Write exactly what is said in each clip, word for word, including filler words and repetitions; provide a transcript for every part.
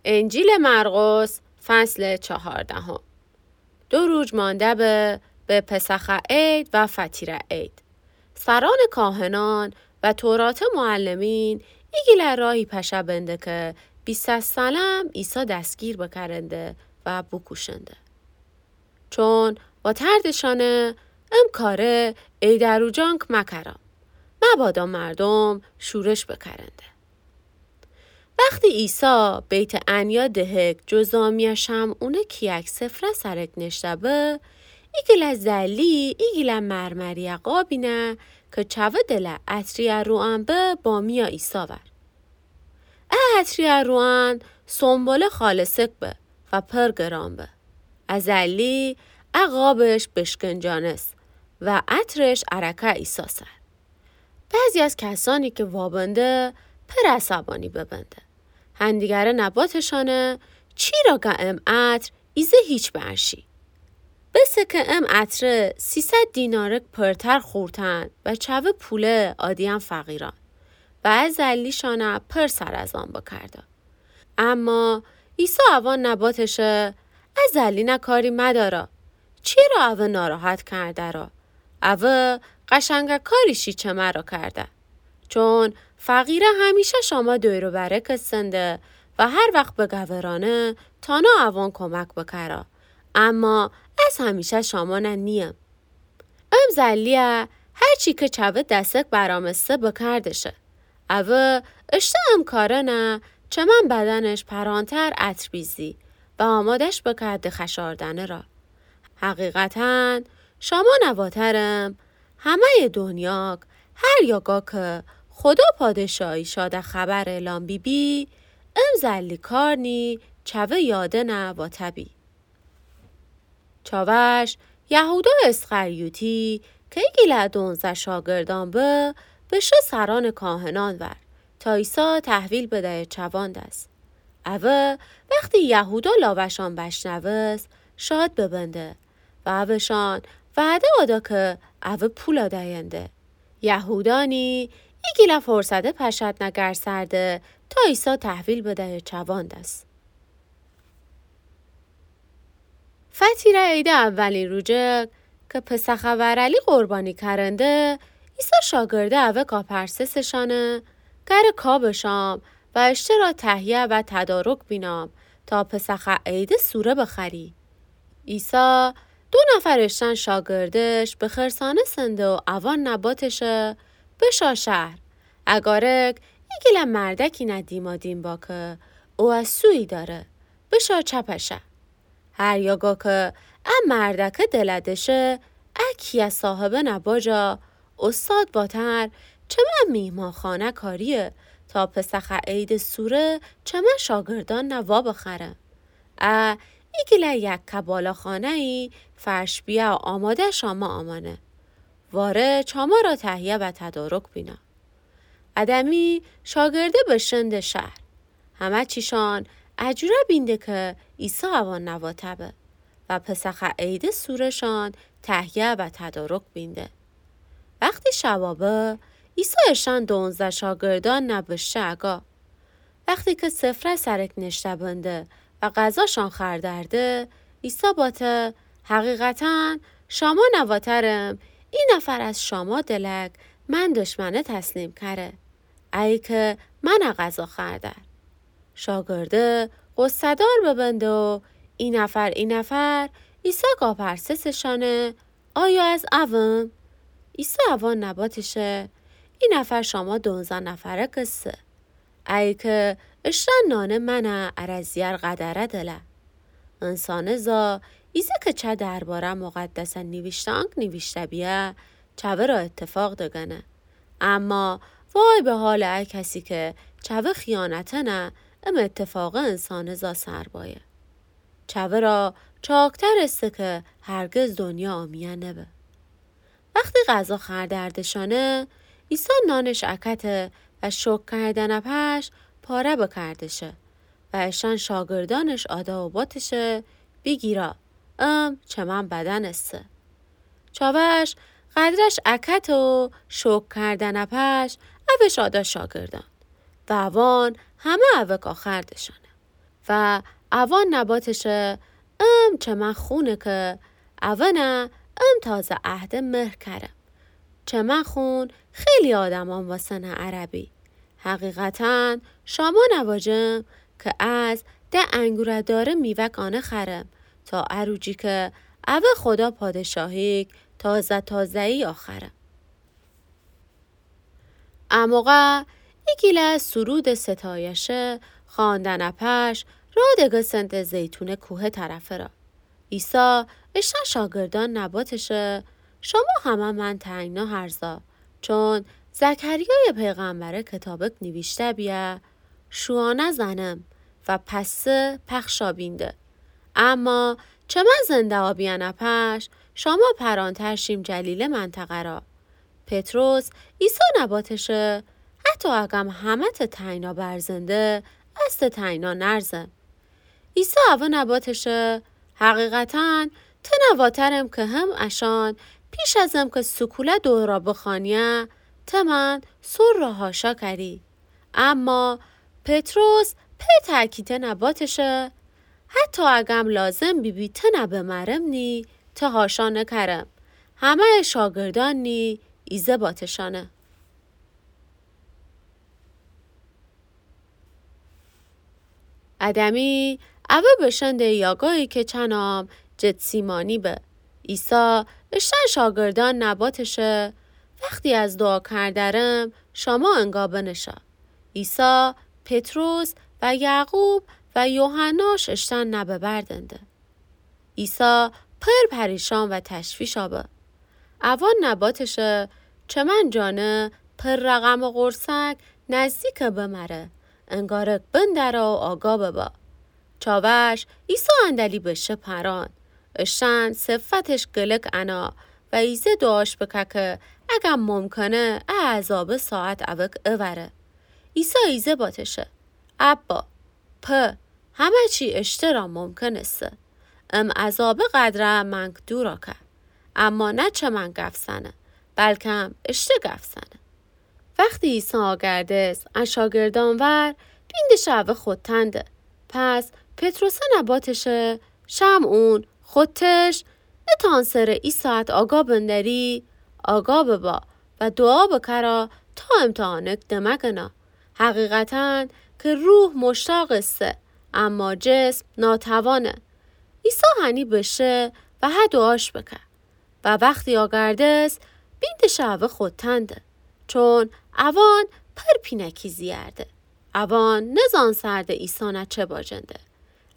انجیلٚ مرقس، فصلٚ چهاردهم. دو روز مانده به، به پسخ عید و فطیره عید. سرأنٚ کاهنأن و توراتٚ معلمین ایگیله راهی پشه بنده که بیسه سلم عیسی دستگیر بکرنده و بوکوشنده. چون واتردشأنه، ام کاره عیدٚ روجانک مکرأ، مبادا مردوم شورش بکرنده. وختی عیسی بیت‌عنیا دهک جذامیأ شمعونٚ کیأک سفره سرک نشته به، ایگیله زلی ایگیله مرمری‌یٚ قابینه که چوه دله عطری‌یٚ روئن به، بامیأ عیسی ور. ا عطری‌یٚ روئن سنبله خالصک به و پر گران به. ا زلی ا قابش بشکنجانست و عطرش ارکه عیسی سر. بعضی از کسأنی که وابنده پر عصبانی ببنده. هندیگره نباتشأنه، چی را گه ام عطر ایزه هیچ بنشی؟ بسه که ام عطره سیصد دینارک پرتر خورتن و چوه پوله آدییأن فقیرأن. و ا زلیشأنه پر سر از آن بکرده. اما عیسی اوأن نباتشه، ا زلینه کاری مدارا. چیرا اوه ناراحت کردرا؟ اوه قشنگه کاری شی چه مرا کرده. چون فقیره همیشه شاما دور و برک استنده و هر وخت بگورانه تانا اوأن کمک بکرا. اما از همیشه شامانه نییم. ام زلیه هر چی که چوه دستک برامسته بکردشه. اوه اشته ام کارنه چمن بدنش پرانتر عطر بیزی و آمادش بکرده خشاردنه را. حقیقتاً شامانه واترم، همه‌یٚ دنیاک هر یاگا که خودا پادشاهی شاده خبر اعلام بیبی، ام زلی کار نی چوه یادنه واته بی. چاوش یهودا اسخریوطی که ایگیله دونزده شاگردأن به، بشه سرأنٚ کاهنأن ور تا عیسی تحویل بدیه چوأن دس. اوه وختی یهودا لاوشأن بشنوست، شاد ببنده و اوشأن وعده آدا که اوه پولا دینده. یهودا نی ایگیله فرصته پشت نگرسرده تا عیسی تحویل بدیه چوأن دس. فطیره عیدٚ اولین روجک که پسخٚ ورلی قربانی کرنده، عیسی شاگرده اوه کاپرسسشأنه، گره کا بشام و اشترا تهیه و تدارک بینام تا پسخٚ عیدٚ سوره بخوری. عیسی دو نفر اشتن شاگردش بخرسانستنده و اوأن نباتشه، بشا شهر، اگارک ایگیله مردکی نه دیما دیم با که اوه سویی داره، بشا چپشه. هر یاگا که ا مردکه دله دشه، ا کیه صاحبه نه باجا، استاد واتر چمن میهمانخانه کاریه تا پسخٚ عیدٚ سوره چمن شاگردأن نه وابخره. ا ایگیله یکه بالاخانه‌یی فرش بیه و آماده شاما آمأنه. واره چامارا تهیه و تدارک بینا. ا دمی شاگرده بشنده شهر. همه چیشان ا جوره بینده که عیسی اوأن نواته به و پسخٚ عیدٚ سوره‌شان تهیه و تدارک بینده. وختی شوا به، عیسی اشأن دونزده شاگردأن نه بشه اگا. وختی که سفره سرک نشته بنده و غذاشان خوردرده، عیسی باته، حقیقتاً شاما نواترم، ای نفر از شاما دلک من دشمنه تسلیم کره، ایی که منه غذا خوردر. شاگرده غصه‌دار ببنده و ای نفر، ای نفر، عیسی کاپرسسشانه، آیا از اوم؟ عیسی اوأن نباتشه، ای نفر شاما دونزده نفره کسه. ای که اشتن نانه منه اره زیار قدره دله. انسانٚ زا ایزه که چه درباره‌یٚ مقدسه نیویشتانک نیویشته بیه، چوه را اتفاق دگنه. اما وای به حالٚ ا کسی که چوه خیانتنه ام اتفاقه انسانٚ زا سر بایه. چوه را چاکترسته که هرگز دنیا آمیه نبه. وختی غذا خوردردشانه، عیسی نانش اکته و شکر کردنٚ پش پاره بکردشه و اشأن شاگردأنش آدا و باتشه، بیگیرا، ام چمن بدنسته. چاوش قدرش اکته و شکر کردنٚ پش اوش آدا شاگردأن و اوأن همه اوک آخردشانه. و اوان نباتشٚ امر چمن خونه که اوانَ امر تازه عهدٚ مهر کرم. چمن خون خیلی آدمأن واسنه عربی. حقیقتاً شامانَ واجم که از ده انگورٚ دارٚ میوه‌کانه خرم تا اروجی که اوه خدا پادشاهیک تازه تازه‌یی آخرم. ا موقع ایگیله سرودٚ ستایشه خواندنٚ پش راه دگستن ده زیتونٚ کوهه طرفه را. عیسی اشتن شاگردأن نباتشه: شما همه من تنگنا هرزا، چون زکریایٚ پیغمبرٚ کتابک نیویشته بیه: شویانه زنم و پسه پخشا بینده. اما چمن زنده‌یی بیأنٚ پش شما پرانتر شیم جلیله منطقه را. پطرس عیسی نباتشه: حتی اگم همه ته تنگنا برزنده، از ته تنگنا نرزم. عیسی اوه نباتشه: حقیقتاً تنه واترم که هم اشأن پیش ازم که سکوله دورا بخوأنیه، ته من سر را حاشا کری. اما پطرس پر تأکیده نباتشه: حتی اگم لازم بیبی تنه بمرم نی، ته حاشا نکرم. همه‌یٚ شاگردأن نی ایزه باتشأنه. ا دمی اوه بشنده یاگایی که چنام جتسیمانی به. عیسی اشتن شاگردأن نباتشه: وختی از دوعا کردرم، شما انگا بنشا. عیسی، پطرس و یعقوب و یوحناش اشتن نببردنده. عیسی پر پریشان و تشویشا به. اوان نباتشه: چمن جانه پر رقمٚ قرصک نزدیکه بمره، انگارک بندره و آگاه ببا. چاوش عیسی اندلی بشه پران، اشتن صفتش گلک انا و ایزه دوعاش بکه که اگم ممکنه ا عذابه ساعت اوک اوره. عیسی ایزه باتشه: ابا، په، همه چی اشته را ممکن ایسه. ام عذابه قدره منک دورا که. اما نه چمن گف زنه، بلکم اشته گف زنه. وختی عیسی آگردس ا شاگردأن ور، بیندش اوه خودتن ده. پس پطرسه نباتشه: شمعون، خودتش نتانسره ای ساعت آگاه بندری؟ آگاه ببا و دوعا بکرا تا امتحانک دمگنا. حقیقتاً که روح مشتاق ایسه، اما جسم ناتوانه. عیسی هنی بشه و هه دوعاش بکه. و وختی آگردس، بیندش اوه خودتن ده، چون اوان پر پینکی زیرده. اوان نزانسرده عیسی نه چه باجنده.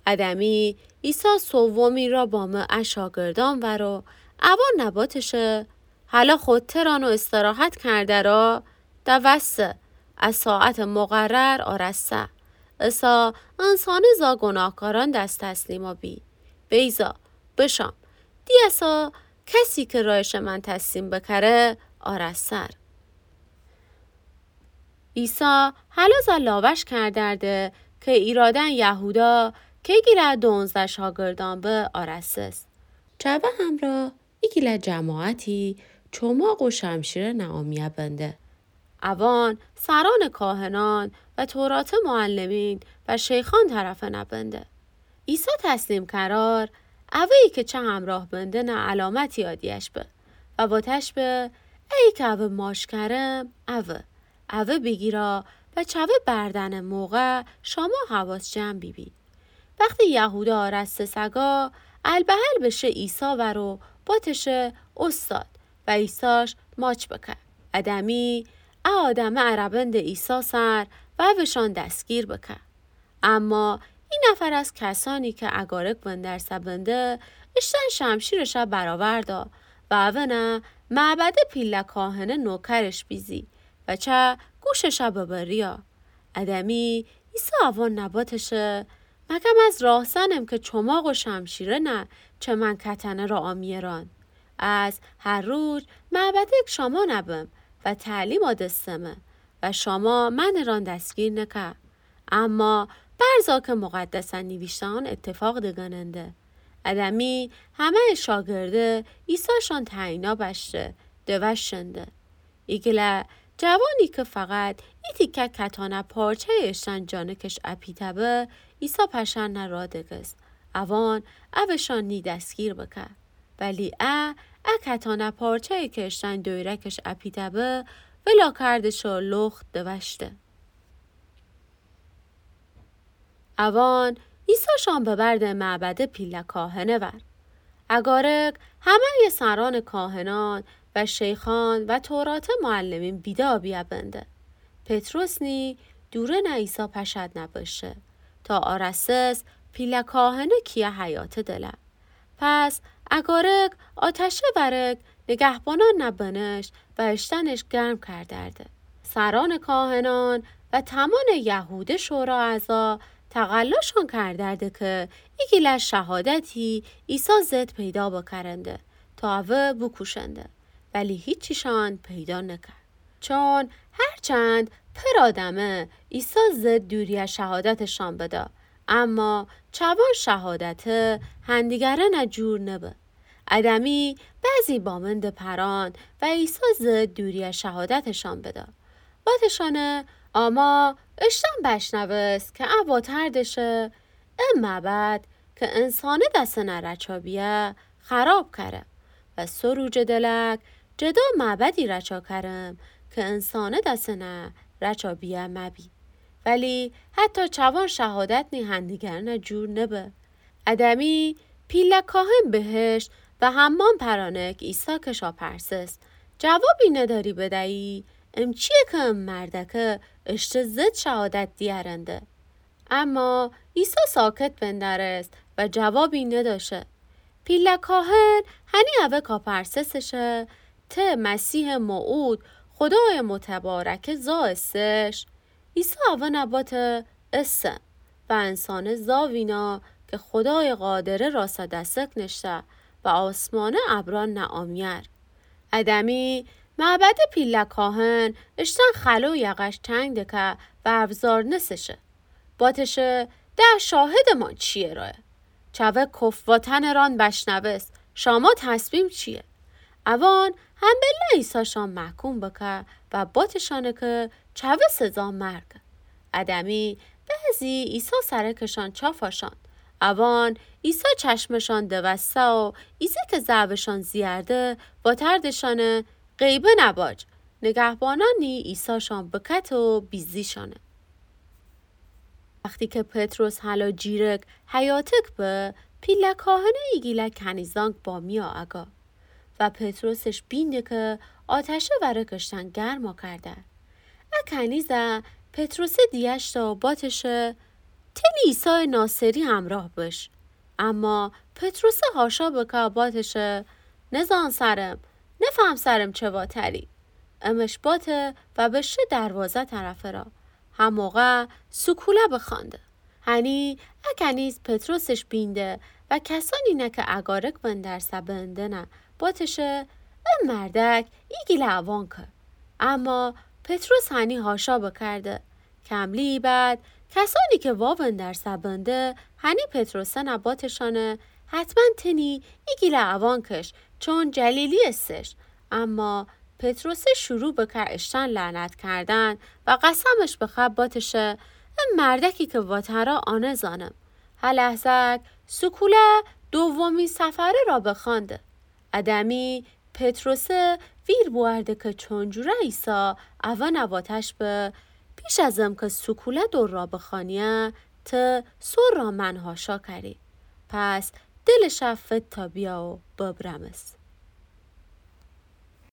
ا دمی عیسی سومی را بامه ا شاگردأن ور و اوان نباتشه: هلا خودتران و استراحت کرده را؟ دوسته، ا ساعت مقرر آرسه. اسا انسانٚ زا گناهکارأن دس تسلیما بی. بیضا، بشام، دی اسا کسی که رایش من تسلیم بکره آرسر. عیسی هلا زا لاوش کردرده که ایرادن یهودا که گیله دونزده شاگردأن به آرسس. چوه همرا ایگیله جماعتی چوماق و شمشیره نامیه بنده. اوان سرأنٚ کاهنأن و توراتٚ معلمین و شیخأن طرفه نبنده. عیسی تسلیم کرار، اوهی که چه همراه بنده نه علامتی آدیش به و واتش به: ایی که اوه ماچ کرم، اوه، اوه بیگیرا و چوه بردنٚ موقع شما حواس جمع بیبی. وختی یهودا آرسته سگا، البهل بشه عیسی ور و باتشه: اوستاد، و عیساش ماچ بکه. ا دمی ا آدمه ارا بنده عیسی سر و اوشان دستگیر بکه. اما ای نفر از کسأنی که اگارک وندرسه بنده، اشتن شمشیرش برآوردا و اونه معبده پیله کاهنه نوکرش بیزی و چه گوشش ببریا. ا دمی عیسی اوان نباتشه: مگم از راهزنم که چوماق و شمشیره نه چه من کتنه را آمیران؟ از هر روز معبدک شامان بم و تعلیم آدستمه و شاما منٚ ران دستگیر نکه. اما برزا که مقدسه نیویشته‌ان اتفاق دگننده. ا دمی همه‌یٚ شاگرده عیساشان تنگنا بشته، دوشنده. ایگیله جوانی کی فقط ای تیکه کتانه پارچه‌یٚ اشتأن جانکش اپیته به، عیسی پشأنه را دگس. اوان اوشان نی دستگیر بکه. ولی ا، ا کتانه پارچه‌یی کی اشتأن دویرکش اپیته به، ولا کردش و لخت دوشته. اوان عیساشان ببرده معبدٚ پیله کاهنٚ ور. اگارک همه‌یٚ سرأنٚ کاهنأن و شیخأن و توراتٚ معلمین بیدا بیه بنده. پطرس نی دوره‌نه عیسی پشأنه بشه تا آراسس پیله کاهنٚ کیه حیاطٚ دله. پس اگارک آتشه ورک نگهبانأنه بنشت و اشتأنش گرم کردرده. سرأنٚ کاهنأن و تمامٚ یهوده شورا اعضا تقلاشان کردرده کی ایگیله شهادتی عیسی ضد پیدا بکرنده تا اوه بوکوشنده، ولی هیچیشان پیدا نکه. چون هرچند پر آدمه عیسی ضد دوریه شهادتشان بده، اما چوان شهادته هندیگرأنه جور نبه. ادمی بعضی بامنده پران و عیسی ضد دوریه شهادتشان بده. واتشانه، آما اشتأن بشنوست کی ا واتردشه، ا معبد کی انسانه دسنه رچا بیه، خراب کرم و سه روجٚ دلک جدا معبدی رچا کرم کی انسانه دسنه رچا بیه مبی. ولی حتی چوان شهادت نی هندیگرأنه جور نبه. ادمی پیله کاهن بهشت و همأن پرانک عیسی کشا پرسس، جوابی نداری بدیی؟ ام چیه کی ام مردکه اشته ضد شهادت دیأرنده؟ اما عیسی ساکت بندرست و جوابی نداشه. پیله کاهن هنی اوکا پرسسشه، ته مسیحٚ موعود، خودایٚ متبارکه زا استش؟ عیسی اونه باته، اسه و انسانه زا وینا کی خودایٚ قادره راسا دسک نشته و آسمانه ابرأن نعامیأر. ادمی معبدٚ پیله کاهن اشتأن خلو یقش تنگ دکه و افزار نسشه. باتشه، ده شاهدٚ ما چیه راه؟ چوه کف واتنٚ ران بشنوست، شاما تصمیم چیه؟ اوان همبله عیساشان محکوم بکه و باتشانه کی چوه سزا مرگه. ادمی بعضی عیسی سرکشان چافاشان. اوان عیسی چشمشان دوسته و ایزه کی ضعفشان زیرده واتردشانه، غیبه نباج. نگهبانأن نی عیساشان بکته و بیزیشانه. وختی کی پطرس هلا جیرک حیاطک به، پیله کاهنه ایگیله کنیزانک بامیأ اگا و پطرسش بینده کی آتشه ورک اشتأن گرما کرده. ا کنیزه پطرسه دیأشته و باتشه، تنی عیسایٚ ناصری همراه بش. اما پطرسه هاشا بکه باتشه، نزأن سرم، نفهم سرم چه واتری. امش باته و بشه دروازه طرفه را. هموقع سوکوله بخوأنده. هنی ا کنیز پطرسش بینده و کسأنی نه کی اگارک بندرسه بندنه باتشه، ا مردک ایگیله اوانکه. اما پطرس هنی هاشا بکرده. کملیی بعد کسأنی کی وابندرسه بنده هنی پطرسأنه باتشانه، حتما تنی ایگیله اوانکش، چون جلیلی استش. اما پطرسه شروع بکه اشتأن لعنت کردن و قسمش بخه باتشه، ا مردکی کی واتره آنه زأنم. هه لحظه‌ک سوکوله دومی سفره را بخوأنده. ادمی پطرسه ویر بوأرده کی چونجوره عیسی اونه واتش به، پیش از امکی سوکوله دور را بخوأنیی، ته سر را من هاشا کری. پس دلش فت تا بیه و ببرمس.